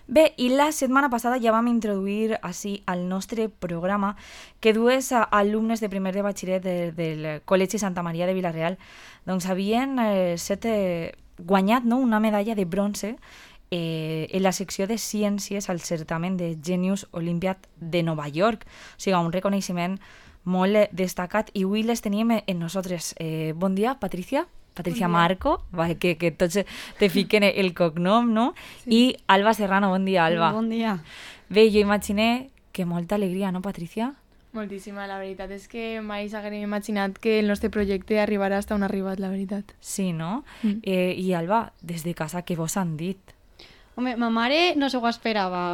Bé, i la setmana passada ja vam introduir així al nostre programa que dues alumnes de primer de batxillerat del Col·legi Santa Maria de Vila-real doncs havien guanyat, no, una medalla de bronze en la secció de ciències al certamen de Genius Olympiad de Nova York. O sigui, un reconeixement molt destacat i avui les teníem en nosaltres. Bon dia, Patricia. Patricia Marco, que tots te fiquen el cognom, no? Sí. I Alba Serrano, bon dia, Alba. Bon dia. Bé, jo imagine que molta alegria, no, Patricia? Moltíssima, la veritat és que mai s'haguem imaginat que el nostre projecte arribarà fins on ha arribat, la veritat. Sí, no? I Alba, des de casa, què vos han dit? Home, ma mare no se ho esperava.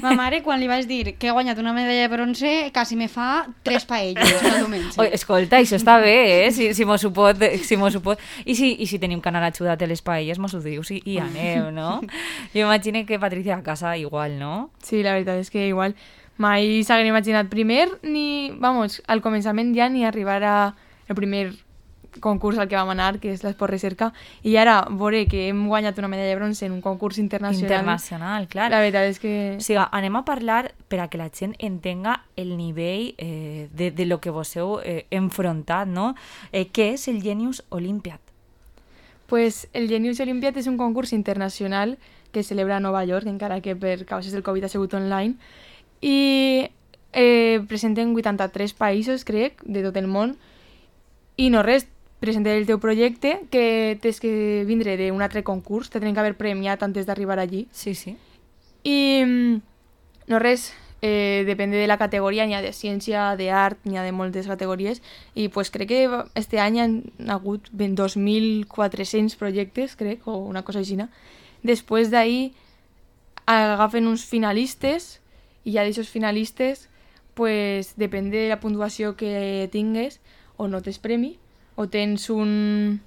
Ma mare, quan li vaig dir que he guanyat una medalla de bronze, quasi me fa 3 paelles cada diumenge. Oi, escolta, això està bé, si mos ho pot. I si tenim que anar a ajudar a les paelles, mos ho dius i aneu, no? Jo imagino que Patricia a casa igual, no? Sí, la veritat és que igual mai s'haguem imaginat primer, vamos, al començament ja ni arribar al primer concurs al que vam anar, que és l'Esport Recerca, i ara veure que hem guanyat una medalla de bronze en un concurs internacional. Internacional, clar. La veritat és que... O sigui, anem a parlar per a que la gent entenga el nivell de lo que vos heu enfrontat, no? Què és el Genius Olympiad? Pues el Genius Olympiad és un concurs internacional que es celebra a Nova York, encara que per causes del Covid ha sigut online, i presenten 83 països, crec, de tot el món, i no res, presenta el teu projecte, que tens que vindre d'un altre concurs, te tenen que haver premiat antes d'arribar allí. Sí, sí. I no res, depèn de la categoria, n'hi ha de ciència, d'art, n'hi ha de moltes categories, i pues crec que este any han hagut 2.400 projectes, crec, o una cosa així. Després d'ahir agafen uns finalistes, i ja d'aixòs finalistes, pues depèn de la puntuació que tingues, o no tens premi, o tens un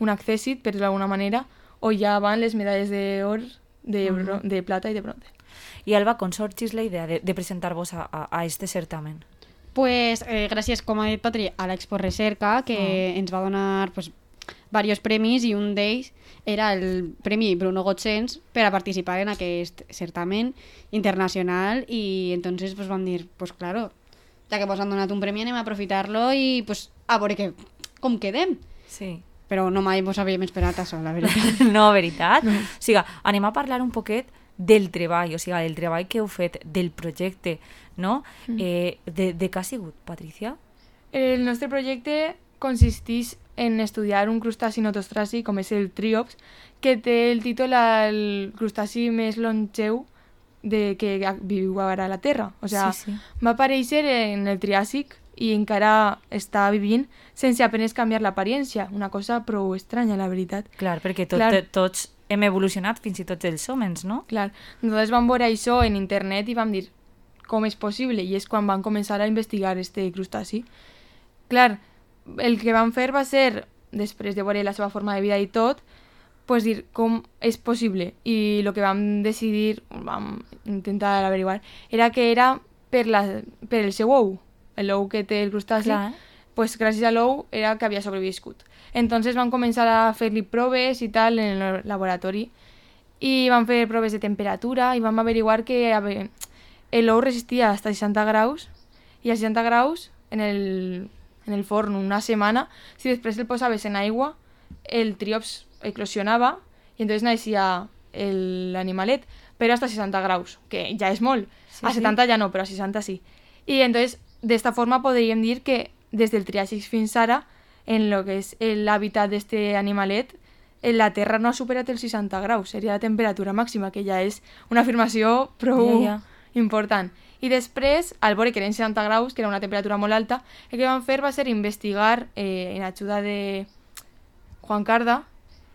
accèssit, per dir-ho d'alguna manera, o ja van les medalles d'or, de plata i de bronze. I Alba, com sorgís la idea de presentar-vos a este certamen? Pues gràcies, com ha dit Patri, a l'Expo Recerca, que ens va donar pues, diversos premis, i un d'ells era el Premi Bruno Gotsens per a participar en aquest certamen internacional, i entonces pues, vam dir, pues claro, ja que vos han donat un premi anem a aprofitar-lo i pues, a veure com quedem. Sí. Però no mai vos havíem esperat això, la veritat. No, veritat? O sigui, anem a parlar un poquet del treball, o sigui, del treball que heu fet, del projecte, no? De què ha sigut, Patricia? El nostre projecte consisteix en estudiar un crustaci notostràcic, com és el triops, que té el títol al crustaci més longeu que viu ara a la Terra. O sigui, sí. Va aparèixer en el Triàsic i encara està vivint sense apenas canviar l'apariència. Una cosa prou estranya, la veritat. Clar, perquè tots hem evolucionat, fins i tot els hòmens, no? Clar. Nosaltres vam veure això en internet i vam dir com és possible, i és quan van començar a investigar este crustaci. Clar, el que vam fer va ser, després de veure la seva forma de vida i tot, pues dir com és possible, i el que vam decidir, vam intentar averiguar, era que era per el seu ou, l'ou que té el crustaci, pues gràcies a l'ou era que havia sobreviscut. Entonces vam començar a fer-li proves i tal en el laboratori, i vam fer proves de temperatura i vam averiguar que l'ou resistia fins a 60 graus, i a 60 graus en el forn una setmana, si després el posaves en aigua, el triops eclosionava i entonces naixia l'animalet, però hasta 60 graus, que ja és molt. Sí, a 70 ja no, però a 60 sí. I entonces, d'esta forma podríem dir que des del Triàsic fins ara, en lo que és l'hàbitat d'este animalet, la Terra no ha superat els 60 graus, seria la temperatura màxima, que ja és una afirmació prou important. I després, al veure que eren 60 graus, que era una temperatura molt alta, el que vam fer va ser investigar, en ajuda de Juan Carda,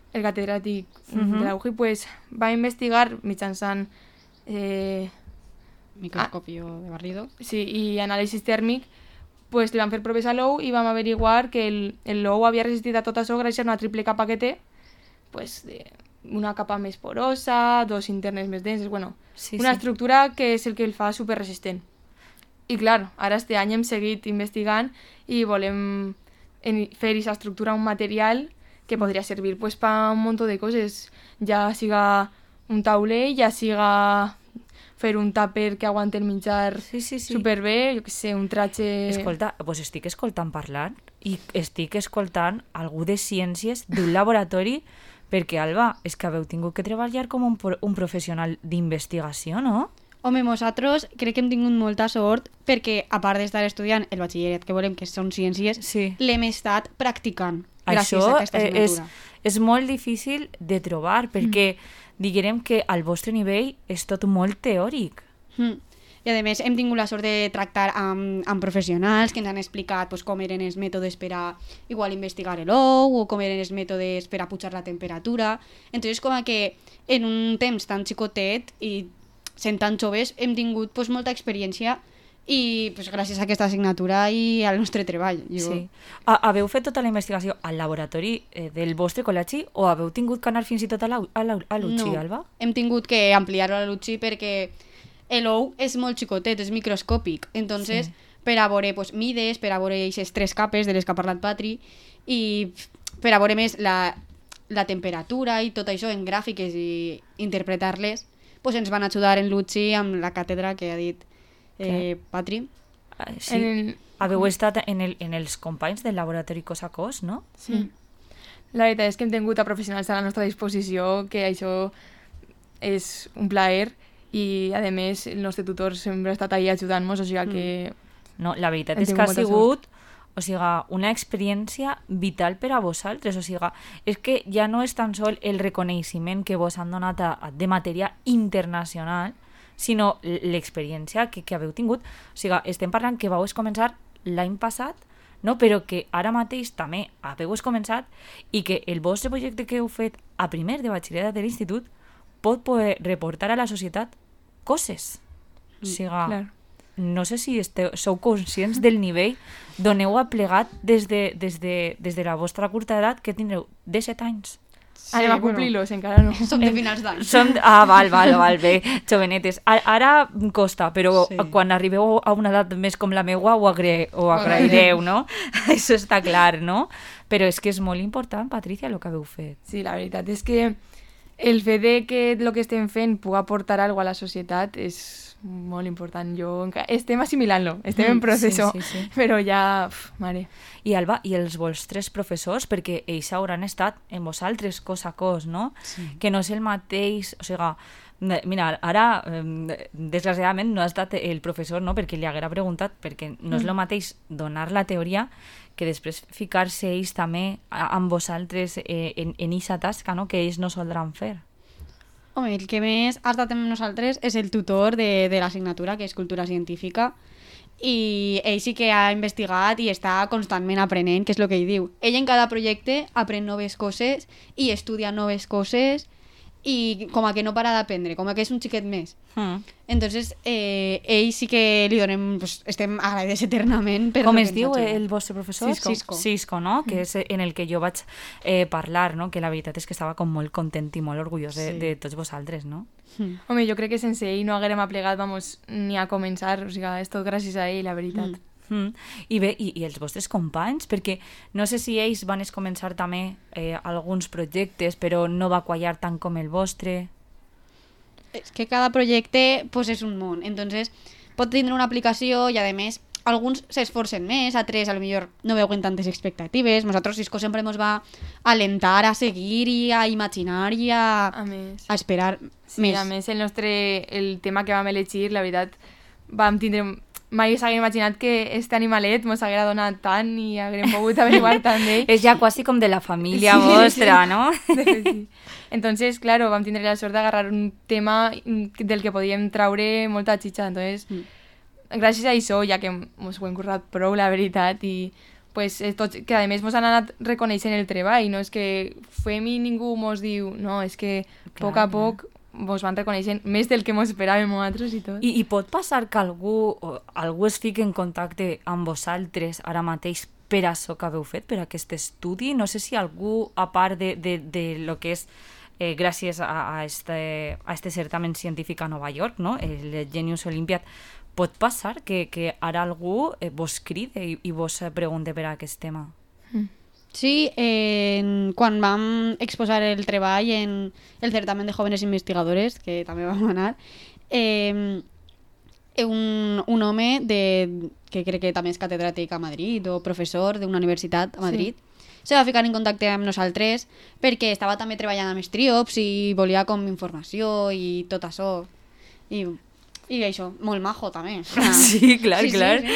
el catedràtic de la UJI, pues, va investigar mitjançant microscopio de barrido. Sí, i anàlisi tèrmic, pues, li van fer proves a l'ou i vam averiguar que l'ou havia resistit a tot això gràcies a una triple capa que té, pues, una capa més porosa, dos internes més denses, bueno, una estructura que és el que el fa superresistent. I clar, ara este any hem seguit investigant i volem fer aquesta estructura un material que podria servir pues, per un munt de coses, ja siga un tauler, ja siga fer un tàper que aguante el menjar superbé, jo què sé, un tratge... Escolta, doncs estic escoltant parlant i estic escoltant algú de ciències d'un laboratori perquè, Alba, és que haveu tingut que treballar com un professional d'investigació, no? Home, nosaltres crec que hem tingut molta sort perquè, a part d'estar estudiant el batxillerat que volem, que són ciències, l'hem estat practicant gràcies a aquesta assignatura. És molt difícil de trobar perquè diguem que al vostre nivell és tot molt teòric. I a més hem tingut la sort de tractar amb professionals que ens han explicat pues, com eren els mètodes per a igual investigar l'ou o com eren els mètodes per a pujar la temperatura. Entonces com que en un temps tan xicotet i sent tan joves hem tingut pues, molta experiència i pues, gràcies a aquesta assignatura i al nostre treball. Sí. Haveu fet tota la investigació al laboratori del vostre col·legi o haveu tingut que anar fins i tot a l'UTXI, Alba? Hem tingut que ampliar-ho a l'UTXI perquè l'ou és molt xicotet, és microscòpic. Entonces, per a veure pues, mides, per a veure aquestes 3 capes de les que ha parlat Patri i per a veure més la temperatura i tot això en gràfiques i interpretar-les, pues, ens van ajudar en l'UTXI amb la càtedra que ha dit Patri. Sí. Haveu estat en els companys del laboratori cos a cos, no? Sí. La veritat és que hem tingut a professionals a la nostra disposició, que això és un plaer i, a més, el nostre tutor sempre ha estat ahí ajudant-nos, o sigui que... No, la veritat és que ha sigut una experiència vital per a vosaltres, o sigui, és que ja no és tan sol el reconeixement que vos han donat de matèria internacional, sinó l'experiència que haveu tingut. O sigui, estem parlant que vau començar l'any passat, no? Però que ara mateix també haveu començat i que el vostre projecte que heu fet a primer de batxillerat de l'institut pot poder reportar a la societat coses. O sigui, no sé si sou conscients del nivell d'on heu aplegat des de la vostra curta edat, que tindreu 17 anys. Anem a complir-los, encara no. Som de finals d'any. Val, bé, jovenetes. Ara costa, però quan arribeu a una edat més com la meua ho agraireu, no? Això està clar, no? Però és que és molt important, Patricia, el que haveu fet. Sí, la veritat és que el fet de que el que estem fent pugui aportar alguna cosa a la societat és molt important. Estem assimilant-lo, estem en procés, però ja, mare. I Alba, i els vostres professors, perquè ells hauran estat en vosaltres cos a cos, no? Sí. Que no és el mateix, o sigui, mira, ara, desgraciadament, no ha estat el professor, no?, perquè li haguera preguntat, perquè no és el mateix donar la teoria que després ficar-se ells també amb vosaltres en aquesta tasca, no?, que ells no soldran fer. Home, el que més ha estat amb nosaltres és el tutor de l'assignatura, que és Cultura Científica, i ell sí que ha investigat i està constantment aprenent, que és el que ell diu. Ell en cada projecte aprèn noves coses i estudia noves coses i com a que no para d'aprendre, com a que és un xiquet més. Entonces, ell sí que li donem, pues, estem agraïdes eternament. Com es diu el vostre professor? Cisco, no? Que és en el que jo vaig parlar, no? Que la veritat és que estava com molt content i molt orgullós de tots vosaltres, no? Home, jo crec que sense ell no haguérem aplegat, ni a començar, o sigui, és tot gràcies a ell, la veritat. I bé, i els vostres companys? Perquè no sé si ells van començar també alguns projectes, però no va quallar tant com el vostre. És que cada projecte pues, és un món, entonces pot tindre una aplicació i a més alguns s'esforcen més, altres a lo millor no veuen tantes expectatives. Nosaltres Cisco sempre ens va alentar a seguir i a imaginar i a esperar més. A més el tema que vam elegir, la veritat, vam tindre... Mai s'hagués imaginat que este animalet mos haguera donat tant i haguérem pogut averiguar tant d'ell. És ja quasi com de la família vostra, no? Sí. Entonces, claro, vam tindre la sort d'agarrar un tema del que podíem traure molta xitxa. Entonces, gràcies a això, ja que mos ho hem currat prou, la veritat, i pues, tots, que a més mos han anat reconeixent el treball, no és que fem i ningú mos diu, no, és que a poc a poc vos van reconeixent més del que mos esperàvem nosaltres i tot. I pot passar que algú es fiqui en contacte amb vosaltres ara mateix per això que haveu fet, per aquest estudi? No sé si algú, a part de lo que és gràcies a este certamen científic a Nova York, no? El Genius Olympiad, pot passar que ara algú vos cride i vos pregunte per aquest tema? Sí, quan vam exposar el treball en el certamen de jóvenes investigadores, que també vam anar, un home que crec que també és catedràtic a Madrid o professor d'una universitat a Madrid, se va ficar en contacte amb nosaltres perquè estava també treballant amb Striops i volia com informació i tot això. I això, molt majo també. Sí, clar, Sí, clar. sí.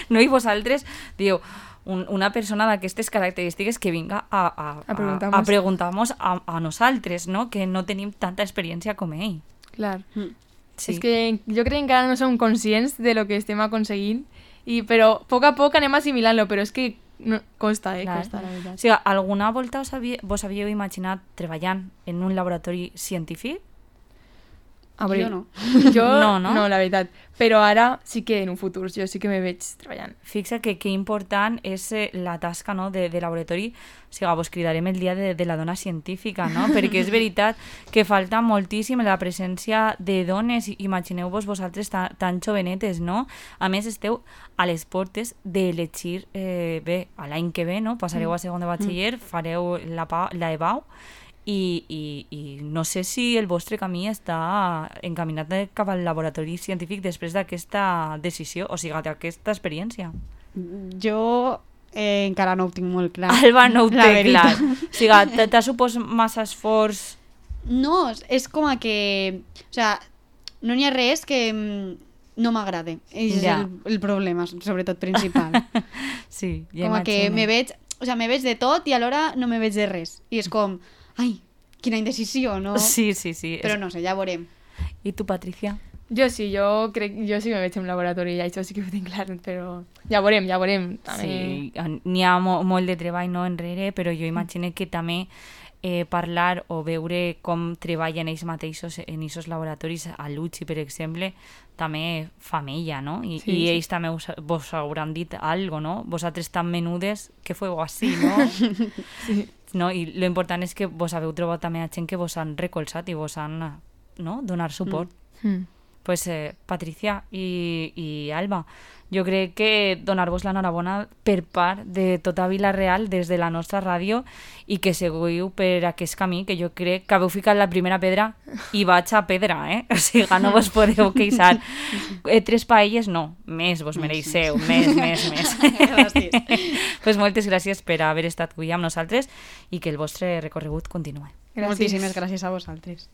No, i vosaltres, diu, una persona d'aquestes característiques que vinga a preguntar-nos a nosaltres, no? Que no tenim tanta experiència com ell. Clar. Sí. És que jo crec que encara no som conscients de lo que estem aconseguint, però a poc anem assimilant-lo, però és que no, costa, costa, la veritat. O sigui, alguna volta vos havíeu imaginat treballant en un laboratori científic? Jo no. Jo No? no, la veritat. Però ara sí que en un futur jo sí que me veig treballant. Fixa que important és la tasca, no, de laboratori. O sigui, vos cridarem el dia de la dona científica, no? Perquè és veritat que falta moltíssim la presència de dones. Imagineu-vos vosaltres tan jovenetes, no? A més, esteu a les portes d'elegir, bé, a l'any que ve, no? Passareu a segon de batxiller, fareu la EBAU, i no sé si el vostre camí està encaminat cap al laboratori científic després d'aquesta decisió, o sigui, d'aquesta experiència. Jo encara no ho tinc molt clar. Alba no ho la té clar. veritat. O sigui, t'ha supos massa esforç? No, és com que... O sea, no n'hi ha res que no m'agrade. És Ja. el problema, sobretot principal. Sí, ja Com que imagino. me veig de tot i alhora no me veig de res. I és com, ai, quina indecisió, no? Sí. Però no sé, ja veurem. I tu, Patricia? Jo sí, jo sí que me veig en un laboratori, això sí que ho tinc clar, però ja veurem. També... Sí, n'hi ha molt de treball, no, enrere, però jo imagino que també parlar o veure com treballen ells mateixos en aquests laboratoris, a l'UCI, per exemple, també fa mella, no? I ells també vos hauran dit algo, no? Vosaltres tan menudes que feu així, no? Sí. No? I lo important és que vos haveu trobat també a gent que vos han recolzat i vos han, no, donar suport. Pues Patricia i Alba, jo crec que donar-vos l'enhorabona per part de tota Vila-real des de la nostra ràdio i que seguiu per aquest camí, que jo crec que haveu ficat la primera pedra i vaig a pedra, O sigui, no vos podeu queixar. 3 paelles, no, més vos mereixeu, més. Pues moltes gràcies per haver estat avui amb nosaltres i que el vostre recorregut continuï. Gràcies. Moltíssimes gràcies a vosaltres.